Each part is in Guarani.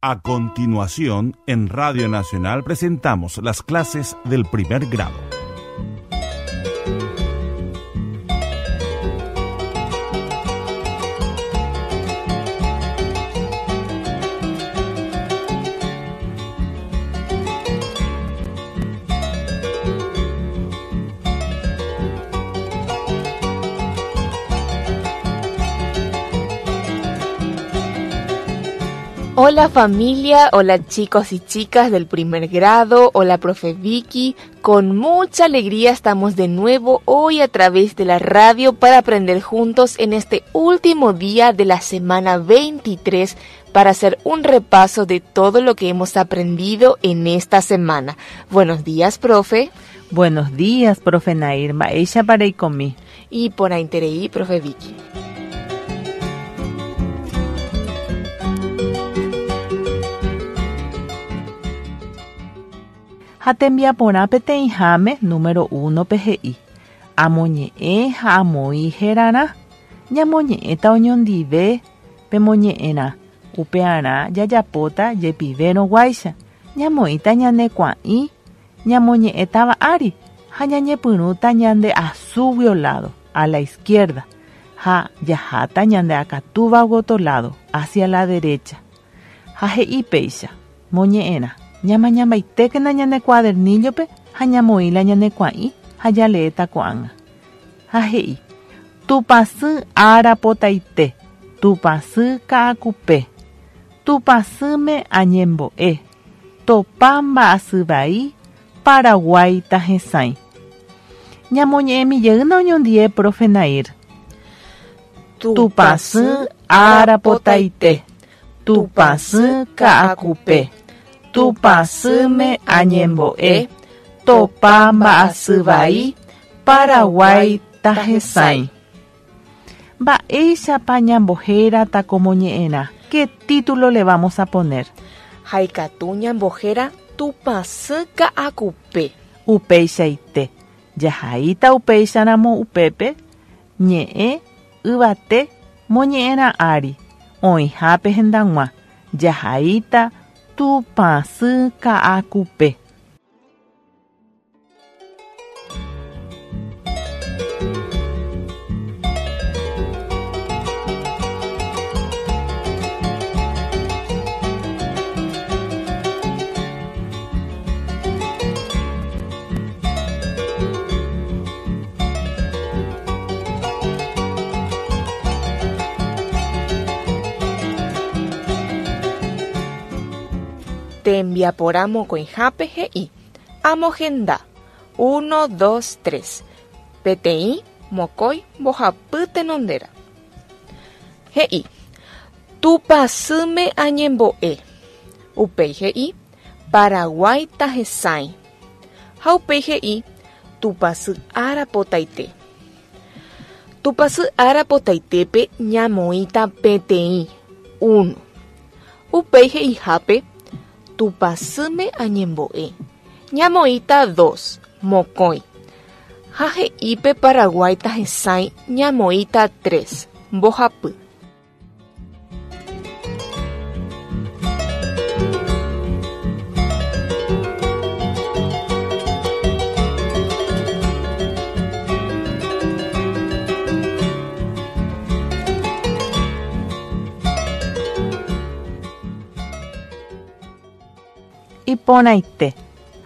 A continuación, en Radio Nacional presentamos las clases del primer grado. Hola familia, hola chicos y chicas del primer grado, hola profe Vicky, con mucha alegría estamos de nuevo hoy a través de la radio para aprender juntos en este último día de la semana 23 para hacer un repaso de todo lo que hemos aprendido en esta semana. Buenos días, profe. Buenos días, profe Nair. Mba'éicha pareikomi. Y por interei, profe Vicky. Ha tembiaporã peteĩháme número uno-pe he'i, Amoñe'ẽ ha amoĩ herarã, ñamoñe'ẽta oñondive pemoñe'ẽrã, upearã jajapóta jepivérõ guáicha, ñamoĩta ñane kuã'i ñamoñe'ẽtava ári ha ñañepyrũta ñande asúguio lado, a la izquierda, ha jaháta ñande akatúva goto lado, hacia la derecha. Ha he'i péicha, Moñe'ẽrã, ñamañambaitékena ñane cuadernillo-pe ha ñamoĩ la ñane kuã'i ha jaleéta ko'ág̃a. Ha he'i, Tupãsy ára potaite, Tupãsy ka'akupe, Tupãsýme añembo'e, topa mba'asy vai, Paraguái tahesãi. Ñamoñe'ẽmi jeýna oñondie profe Nair. Tupãsy ára potaite, Tupãsy ka'akupe, Tupãsýme añembo'e, topa mba'asy vai, Paraguái tahesãi. Mba'éichapa ñambohérata ko moñe'ẽrã? Qué título le vamos a poner? Ha ikatu ñambohéra Tupãsy ka'akupe. Upeichaite, jahaíta upéicharamo upépe ñe'ẽ yvate moñe'ẽrã ári, oĩhápe hendag̃ua, jahaíta Tupãsy ka'akupe. Tembiaporã mokõihápe he'i, Amohenda, uno, dos, tres, peteĩ, mokõi, mbohapy tenondéra. He'i, Tupãsýme añembo'e. Upéi he'i, Paraguái tahesãi. Ha upéi he'i, Tupãsy ára potaite. Tupãsy ára potaitépe ñamoĩta peteĩ, uno. Upéi he'ihápe, Tupãsýme añembo'e. Ñamoĩta dos, mokõi. Ha he'ípe Paraguái tahesãi ñamoĩta tres, mbohapy. Iporãite,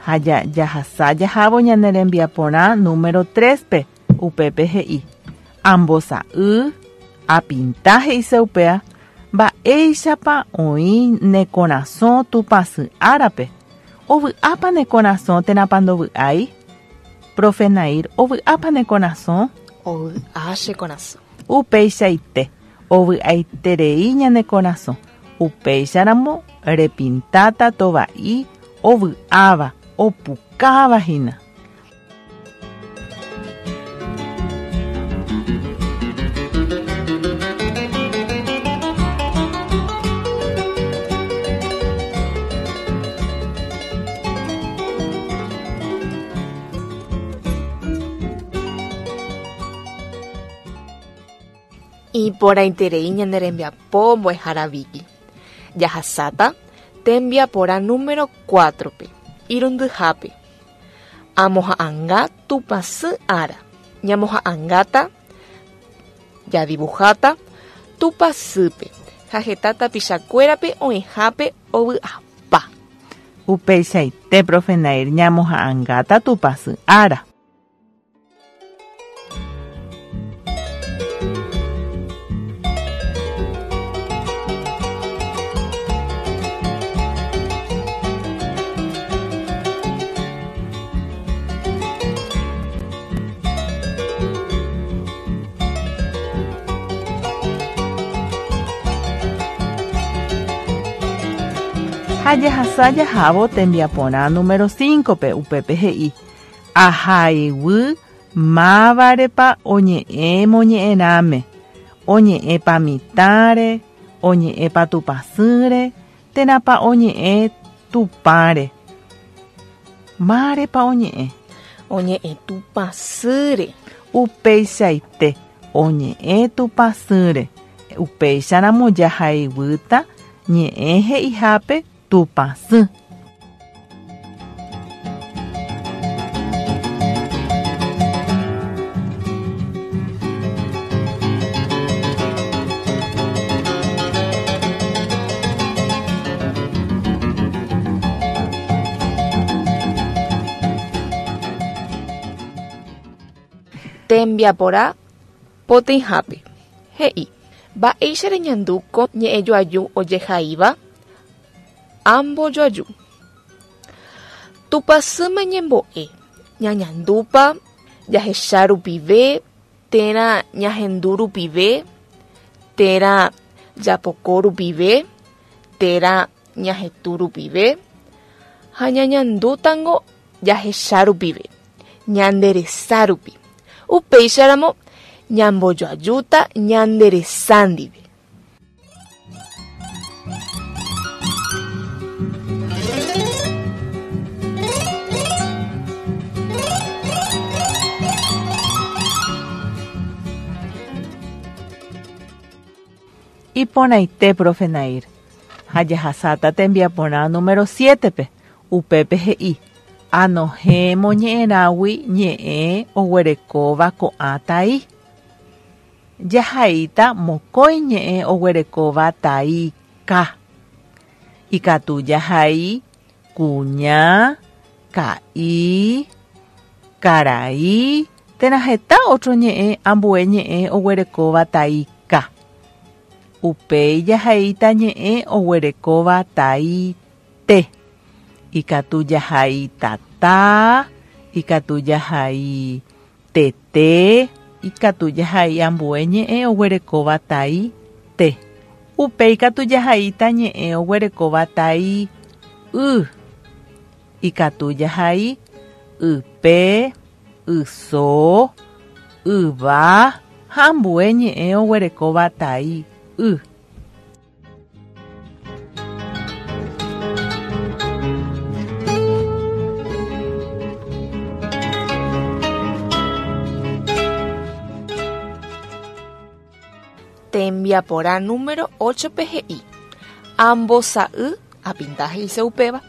ha jahasa jahávo ñane rembiaporã número tres-pe, upépe he'i, Ambosa'y, apinta he'ise upéa, mba'éichapa oĩ ne korasõ Tupãsy árape, ovy'ápa ne korasõ térãpa ndovy'ái? Profe Nair, ovy'ápa ne korasõ? Ovy'a che korasõ. Upeichaite, ovy'aiterei ñane korasõ, upéicharamo repintáta tova'i ovy'áva, opukáva hína. Iporãiterei ñane rembiapo mbo'ehára Vicky. Jahasáta. Tembiaporã número 4-pe, irundyhápe. Amoha'anga Tupãsy ára. Ñamoha'angáta, jadibuháta, Tupãsýpe ha heta tapichakuérape oĩhápe ovy'apa. Upeichaite, profe Nair, ñamoha'angáta Tupãsy ára. Ha jahasa jahávo tembiaporã número 5-pe, upépe he'i, Ahaiguy mávarepa oñe'ẽ moñe'ẽrãme, oñe'ẽpa mitãre, oñe'ẽpa tupãsýre, térãpa oñe'ẽ Tupãre. Mávarepa oñe'ẽ? Oñe'ẽ Tupãsýre. Upeichaite, oñe'ẽ Tupãsýre. Upéicharamo jahaiguýta ñe'ẽ he'ihápe Tupãsy. Tembiaporã poteĩhápe, he'i, Mba'éicha reñandu ko ñe'ẽjoaju ojehaíva? Ambojoaju. Tupãsýma ñembo'e, ñañandúpa jahecha rupive térã ñahendu rupive, térã japoko rupive, térã ñahetũ rupive, ha ñañandútango jahecha rupive, ñande resa rupi. Upéicharamo ñambojoajúta ñande resa ndive. Iporãite, profe Nair. Ha jahasáta tembiaporã número 7-pe. Upépe he'i, Anohẽ moñe'ẽrãgui ñe'ẽ oguerekóva ko'ã tai. Jahaíta mokõi ñe'ẽ oguerekóva tai ka. Ikatu jahai kuña, ka'i, karai térã heta otro ñe'ẽ ambue ñe'ẽ oguerekóva tai ka. Upéi jahaíta ñe'ẽ oguerekóva tai te. Ikatu jahai tata, ikatu jahai tete, ikatu jahai ambue ñe'ẽ oguerekóva tai te. Upéi katu jahaíta ñe'ẽ oguerekóva tai y. Ikatu jahai ype, yso, yva ha ambue ñe'ẽ oguerekóva tai y. Tembiaporã número 8-pe he'i, Ambosa'y, apinta he'ise upéva,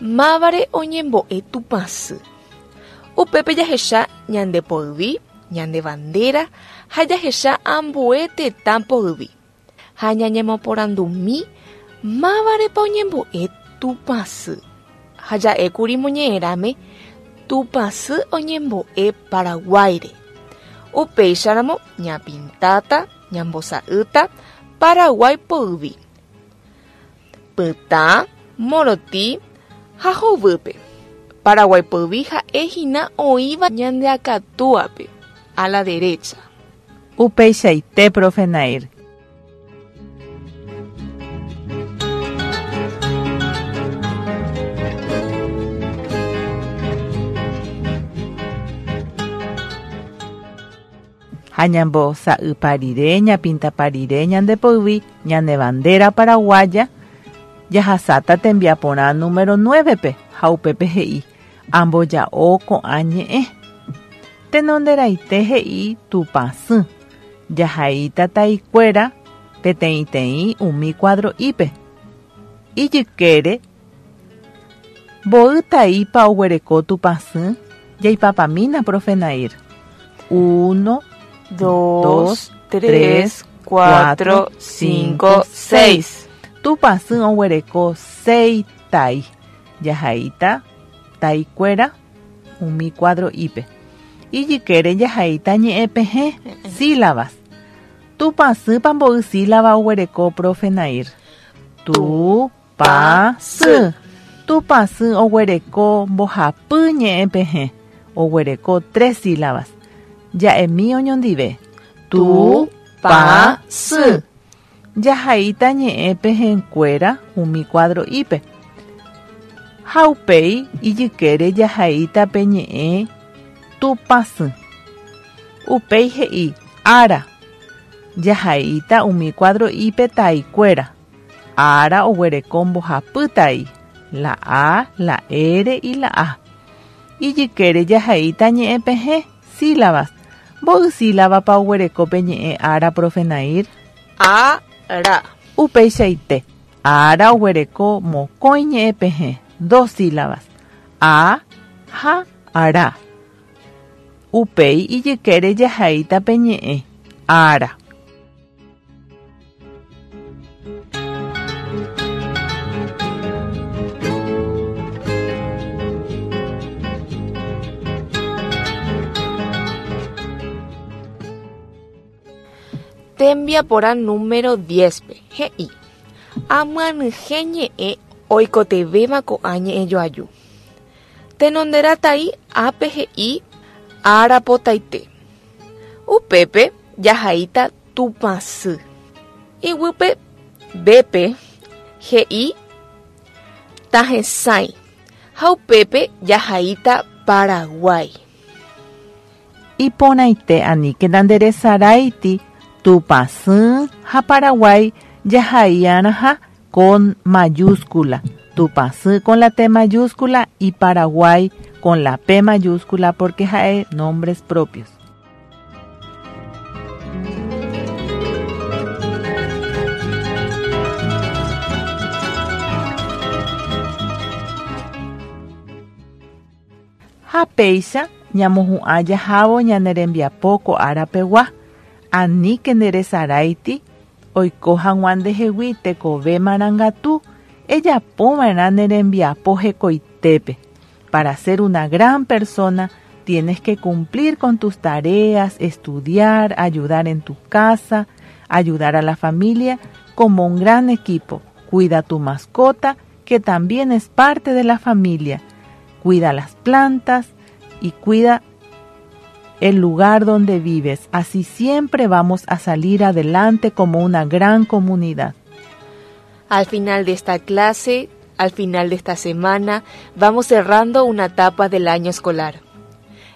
mávare oñembo'e Tupãsy. Upépe jahecha ñande poyvi, ñande bandera ha jahecha ambue tetã poyvi. Ha ñañemoporandumi mávarepa oñembo'e Tupãsy. Ha ja'ékuri moñe'ẽrãme Tupãsy oñembo'e Paraguáire. Upéicharamo ñapintáta, ñambosa'ýta Paraguái poyvi. Pytã, morotĩ ha hovýpe. Paraguái poyvi ha'e hína oĩva ñande akatúape, a la derecha. Upeichaite, profe Nair. Ha ñambosa'ypa rire, ñapintapa rire ñande poyvi, ñane bandera paraguaya, jahasáta tembiaporã número 9-pe ha upépe he'i, Amboja'o ko'ã ñe'ẽ. Tenonderaite he'i Tupãsy, jahaíta taikuéra peteĩteĩ umi cuadro'ípe. Ijykére, mboy taípa oguereko Tupãsy? Jaipapamína, profe Nair. Uno, dos, tres, cuatro, cinco, seis. Tupãsy oguereko seis tai. Jahaíta taikuéra umi cuadro'ípe. Ijykére jahaíta ñe'ẽpehẽ, sílabas. Tupãsýpa mboy sílaba oguereko profe Nair? Tu, pa, sy. Tupãsy oguereko mbohapy ñe'ẽpehẽ, oguereko tres sílabas. Ja'emi oñondive. Tu, pa, sy. Jahaíta ñe'ẽpehẽkuéra umi cuadro'ípe. Ha upéi ijykére jahaíta pe ñe'ẽ Tupãsy. Upéi he'i ára. Jahaíta umi cuadro'ípe taikuéra. Ára oguereko mbohapy tai. La A, la R y la A. Ijykére jahaíta ñe'ẽpehẽ, sílabas. Mboy sílabapa oguereko pe ñe'ẽ ára, profe Nair? A, ra. Upeichaite. Ára oguereko mokõi ñe'ẽpehẽ, dos sílabas. A ha ra. Upéi ijykére jahaíta pe ñe'ẽ ára. Tembiaporã número 10-pe, he'i, Amyanyhẽ ñe'ẽ oikotevẽva ko'ã ñe'ẽjoaju. Tenonderã tai ápe he'i ára potaite. Upépe jahaíta Tupãsy. Iguýpe B-pe he'i tahesãi ha upépe jahaíta Paraguái. Iporãite aníkena nderesaráiti Tupãsy ha Paraguái jahai'arãha con mayúscula. Tupãsy con la T mayúscula y Paraguay con la P mayúscula porque ha'e nombres propios. Ha péicha ñamohu'ã jahávo ñane rembiapo ko ára pegua, aníke nderesaráiti oiko hag̃ua ndehegui tekove marangatu, ejapova'erã ne rembiapo hekoitépe. Para ser una gran persona, tienes que cumplir con tus tareas, estudiar, ayudar en tu casa, ayudar a la familia como un gran equipo. Cuida tu mascota, que también es parte de la familia. Cuida las plantas y cuida el lugar donde vives. Así siempre vamos a salir adelante como una gran comunidad. Al final de esta clase, al final de esta semana, vamos cerrando una etapa del año escolar.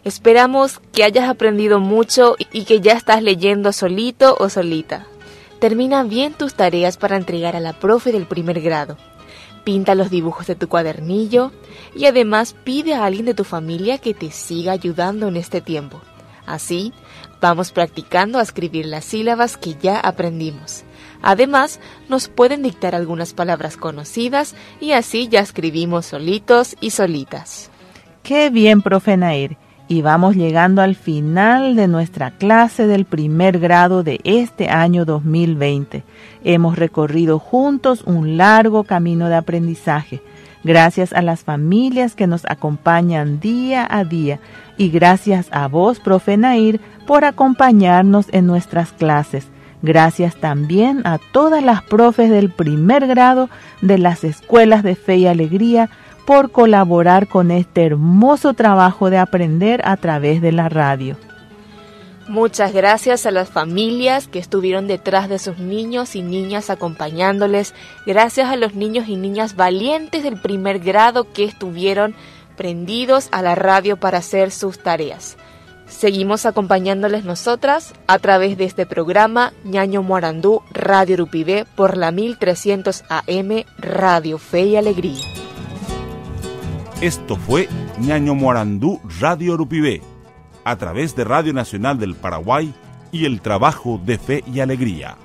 Esperamos que hayas aprendido mucho y que ya estás leyendo solito o solita. Termina bien tus tareas para entregar a la profe del primer grado. Pinta los dibujos de tu cuadernillo y además pide a alguien de tu familia que te siga ayudando en este tiempo. Así, vamos practicando a escribir las sílabas que ya aprendimos. Además, nos pueden dictar algunas palabras conocidas y así ya escribimos solitos y solitas. ¡Qué bien, profe Nair! Y vamos llegando al final de nuestra clase del primer grado de este año 2020. Hemos recorrido juntos un largo camino de aprendizaje. Gracias a las familias que nos acompañan día a día y gracias a vos, profe Nair, por acompañarnos en nuestras clases. Gracias también a todas las profes del primer grado de las escuelas de Fe y Alegría por colaborar con este hermoso trabajo de aprender a través de la radio. Muchas gracias a las familias que estuvieron detrás de sus niños y niñas acompañándoles. Gracias a los niños y niñas valientes del primer grado que estuvieron prendidos a la radio para hacer sus tareas. Seguimos acompañándoles nosotras a través de este programa Ñaño Moarandú Radio Rupivé por la 1300 AM Radio Fe y Alegría. Esto fue Ñaño Moarandú Radio Rupivé, a través de Radio Nacional del Paraguay y el trabajo de Fe y Alegría.